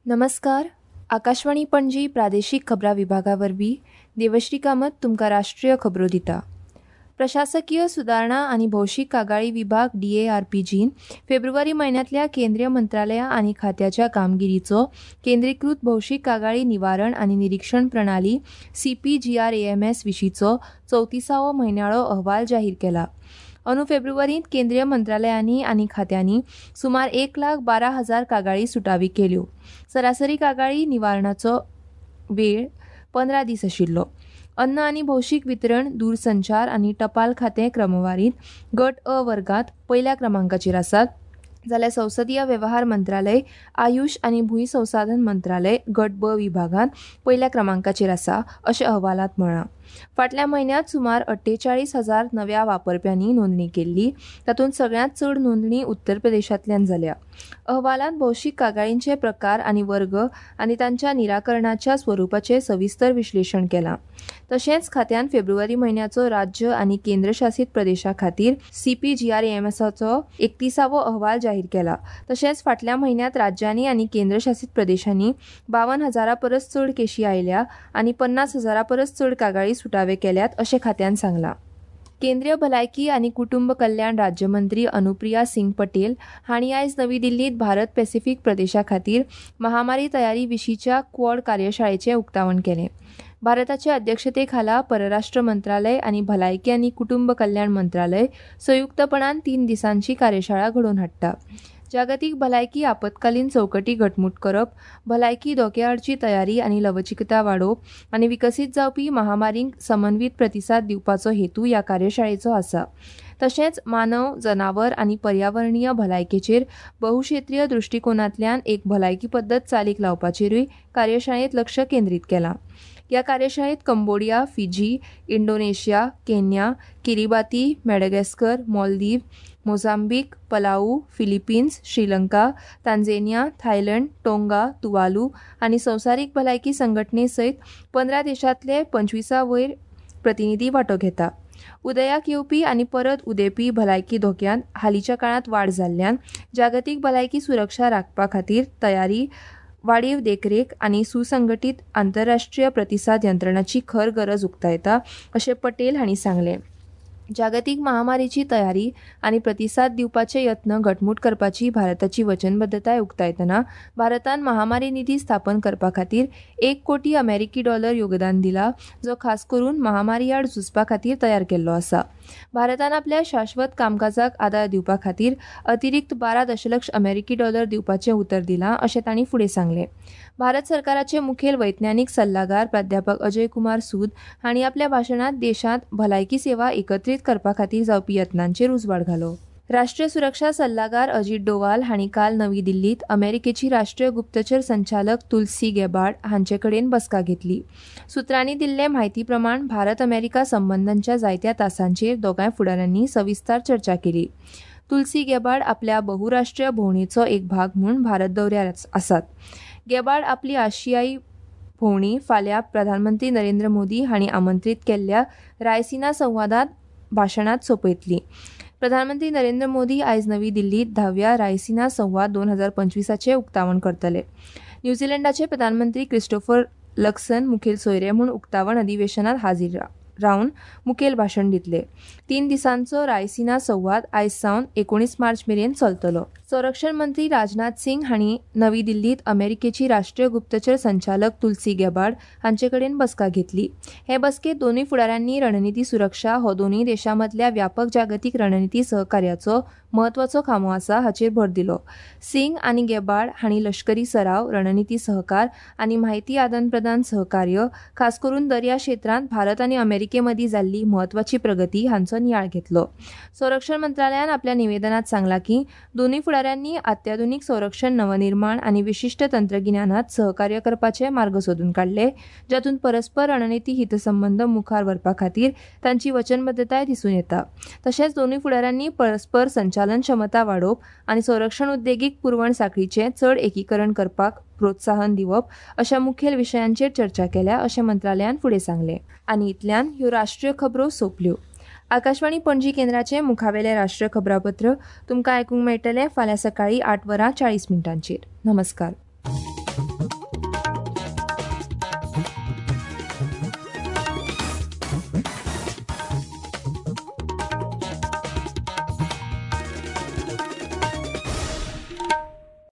नमस्कार, आकाशवाणी पणजी प्रादेशीक खबरां विभागा वरवीं देवश्री कामत तुमकां राष्ट्रीय खबरो दिता. प्रशासकीय सुदारणा आनी भौशीक कागाळी विभाग डीएआरपीजीन फेब्रुवारी म्हयन्यांतल्या केंद्रीय मंत्रालया आनी खात्याच्या कामगिरीचो केंद्रीकृत भौशीक कागाळी निवारण आनी निरीक्षण प्रणाली सीपीजीआरएएमएस विशींचो 34वो म्हयन्याळो अहवाल जाहीर केला. अंदू फेब्रुवारींत केंद्रीय मंत्रालयांनी आनी खात्यांनी सुमार 1,12,000 कागाळी सुटावी केल्यो. सरासरी कागाळी निवारणाचो वेळ 15 दीस आशिल्लो. अन्न आनी भौशीक वितरण, दूरसंचार आनी टपाल खातें क्रमवारींत गट अ वर्गांत पयल्या क्रमांकाचेर आसात, जाल्यार संसदीय वेव्हार मंत्रालय, आयुष आनी भूंय संसाधन मंत्रालय गट ब विभागांत पयल्या क्रमांकाचेर आसा अशें अहवालांत म्हळां. फाटल्या म्हयन्यांत सुमार 48,000 नव्या वापरप्यांनी नोंदणी केल्ली, तातूंत सगळ्यांत चड नोंदणी उत्तर प्रदेशांतल्यान जाल्या. अहवालांत भौशीक कागाळींचे प्रकार आनी वर्ग आनी तांच्या निराकरणाच्या स्वरुपाचें सविस्तर विश्लेशण केलां. तशेंच खात्यान फेब्रुवारी म्हयन्याचो राज्य आनी केंद्रशासीत प्रदेशा खातीर सीपीजीआरएएमएसाचो 31वो अहवाल जाहीर केला. तशेंच फाटल्या म्हयन्यांत राज्यांनी आनी केंद्रशासीत प्रदेशांनी 52,000 परस चड केशी आयल्या आनी 50,000 परस चड कागाळी सुटावे केल्यात अशें खात्यान सांगलां. केंद्रीय भलायकी आनी कुटुंब कल्याण राज्यमंत्री अनुप्रिया सिंग पटेल हांणी आयज नवी दिल्लींत भारत पॅसिफीक प्रदेशा खातीर महामारी तयारी विशींच्या क्वॉड कार्यशाळेचें उक्तावण केलें. भारताचे अध्यक्षते खाला परराष्ट्र मंत्रालय आनी भलायकी आनी कुटुंब कल्याण मंत्रालय संयुक्तपणान 3 दिसांची कार्यशाळा घडोवन हाडटा. जागतीक भलायकी आपत्कालीन चौकटी घटमूट करप, भलायकी धोक्या आडची तयारी आनी लवचिकता वाडोवप आनी विकसीत जावपी महामारींक समन्वीत प्रतिसाद दिवपाचो हेतू ह्या कार्यशाळेचो आसा. तशेंच मानव, जनावर आनी पर्यावरणीय भलायकेचेर बहुक्षेत्रीय दृश्टिकोनांतल्यान एक भलायकी पद्दत चालीक लावपाचेरूय कार्यशाळेंत लक्ष केंद्रीत केलां. ह्या कार्यशाळेंत Cambodia, Fiji, Indonesia, Kenya, Kiribati, Madagascar, Maldives, Mozambique, Palau, Philippines, Sri Lanka, Tanzania, Thailand, Tonga, Tuvalu आनी संवसारीक भलायकी संघटने सयत 15 देशांतले 25 वयर प्रतिनिधी वांटो घेता. उदयाक येवपी आनी परत उदेपी भलायकी धोक्यांत हालींच्या काळांत वाड जाल्ल्यान जागतीक भलायकी सुरक्षा राखपा खातीर तयारी, वाडीव देखरेख आनी सुसंघटीत आंतरराष्ट्रीय प्रतिसाद यंत्रणाची खर गरज उक्तायता अशें पटेल हांणी सांगलें. जागतीक महामारीची तयारी आनी प्रतिसाद दिवपाचे यत्न घटमूट करपाची भारताची वचनबद्धताय उक्तायतना भारतान महामारी निधी स्थापन करपा खातीर 1 कोटी अमेरिकी डॉलर योगदान दिला, जो खास करून महामारी आड झुजपा खातीर तयार केल्लो आसा. भारतान आपल्या शाश्वत कामकाजाक आदार दिवपा खातीर अतिरिक्त 12 दशलक्ष अमेरिकी डॉलर दिवपाचें उतर दिलां अशें तांणी फुडें सांगलें. भारत सरकाराचे मुखेल वैज्ञानीक सल्लागार प्राध्यापक अजय कुमार सूद हांणी आपल्या भाशणांत देशांत भलायकी सेवा एकत्रीत करपा खातीर जावपी यत्नांचेर उजवाड घालो. राष्ट्रीय सुरक्षा सल्लागार अजीत डोवाल हांणी काल नवी दिल्लींत अमेरिकेची राष्ट्रीय गुप्तचर संचालक तुलसी गेबार्ड हांचे कडेन बसका घेतली. सुत्रांनी दिल्ले म्हायती प्रमाण भारत अमेरिका संबंदांच्या जायत्या तासांचेर दोगांय फुडाऱ्यांनी सविस्तर चर्चा केली. तुलसी गेबार्ड आपल्या बहुराष्ट्रीय भोंवडेचो एक भाग म्हूण भारत दौऱ्यार आसात. गेबार्ड आपली आशियाई भोंवडी फाल्यां प्रधानमंत्री नरेंद्र मोदी हांणी आमंत्रीत केल्ल्या रायसिना संवादांत भाशणांत सोंपयतली. प्रधानमंत्री नरेंद्र मोदी आयज नवी दिल्लींत 10व्या रायसिना संवाद 2025 उक्तावण करतले. न्यूझीलंडाचे प्रधानमंत्री क्रिस्टोफर लक्सन मुखेल सोयरे म्हूण उक्तावण अधिवेशनात हाजीर रावन मुखेल भाशण दितले. 3 दिसांचो रायसिना संवाद आयज सावन 19 मार्च मेरेन चलतलो. संरक्षण मंत्री राजनाथ सिंग हांणी नवी दिल्लींत अमेरिकेची राष्ट्रीय गुप्तचर संचालक तुलसी गेबार्ड हांचे कडेन बसका घेतली. हे बसकेंत दोनूय फुडाऱ्यांनी रणनिती सुरक्षा हो दोनूय देशां मदल्या व्यापक जागतीक रणनिती सहकार्याचो म्हत्वाचो खांबो आसा हाचेर भर दिलो. सिंग आनी गेबार्ड हांणी लश्करी सराव, रणनिती सहकार आनी म्हायती आदान प्रदान सहकार्य, खास करून दर्या क्षेत्रांत भारत आनी अमेरिके मदीं जाल्ली म्हत्वाची प्रगती हांचो नियाळ घेतलो. संरक्षण मंत्रालयान आपल्या निवेदनात सांगलां की दोनूय फुडाऱ्यांनी अत्याधुनीक संरक्षण नवनिर्माण आनी विशिश्ट तंत्रगिन्यानात सहकार्य करपाचे मार्ग सोदून काडले, जातूंत परस्पर रणनिती हितसंबंद मुखार व्हरपा खातीर तांची वचनबद्धताय दिसून येता. तशेंच दोनूय फुडाऱ्यांनी परस्पर संचालन क्षमता वाडोवप आनी संरक्षण उद्देगीक पुरवण साखळीचें चड एकीकरण करपाक प्रोत्साहन दिवप अशा मुखेल विशयांचेर चर्चा केल्या अशें मंत्रालयान फुडें सांगलें. आनी इतल्यान ह्यो राष्ट्रीय खबरो सोंपल्यो. आकाशवाणी पणजी केंद्राचें मुखावेलें राष्ट्रीय खबरापत्र तुमकां आयकूंक मेळटलें फाल्यां सकाळीं 8:40. नमस्कार.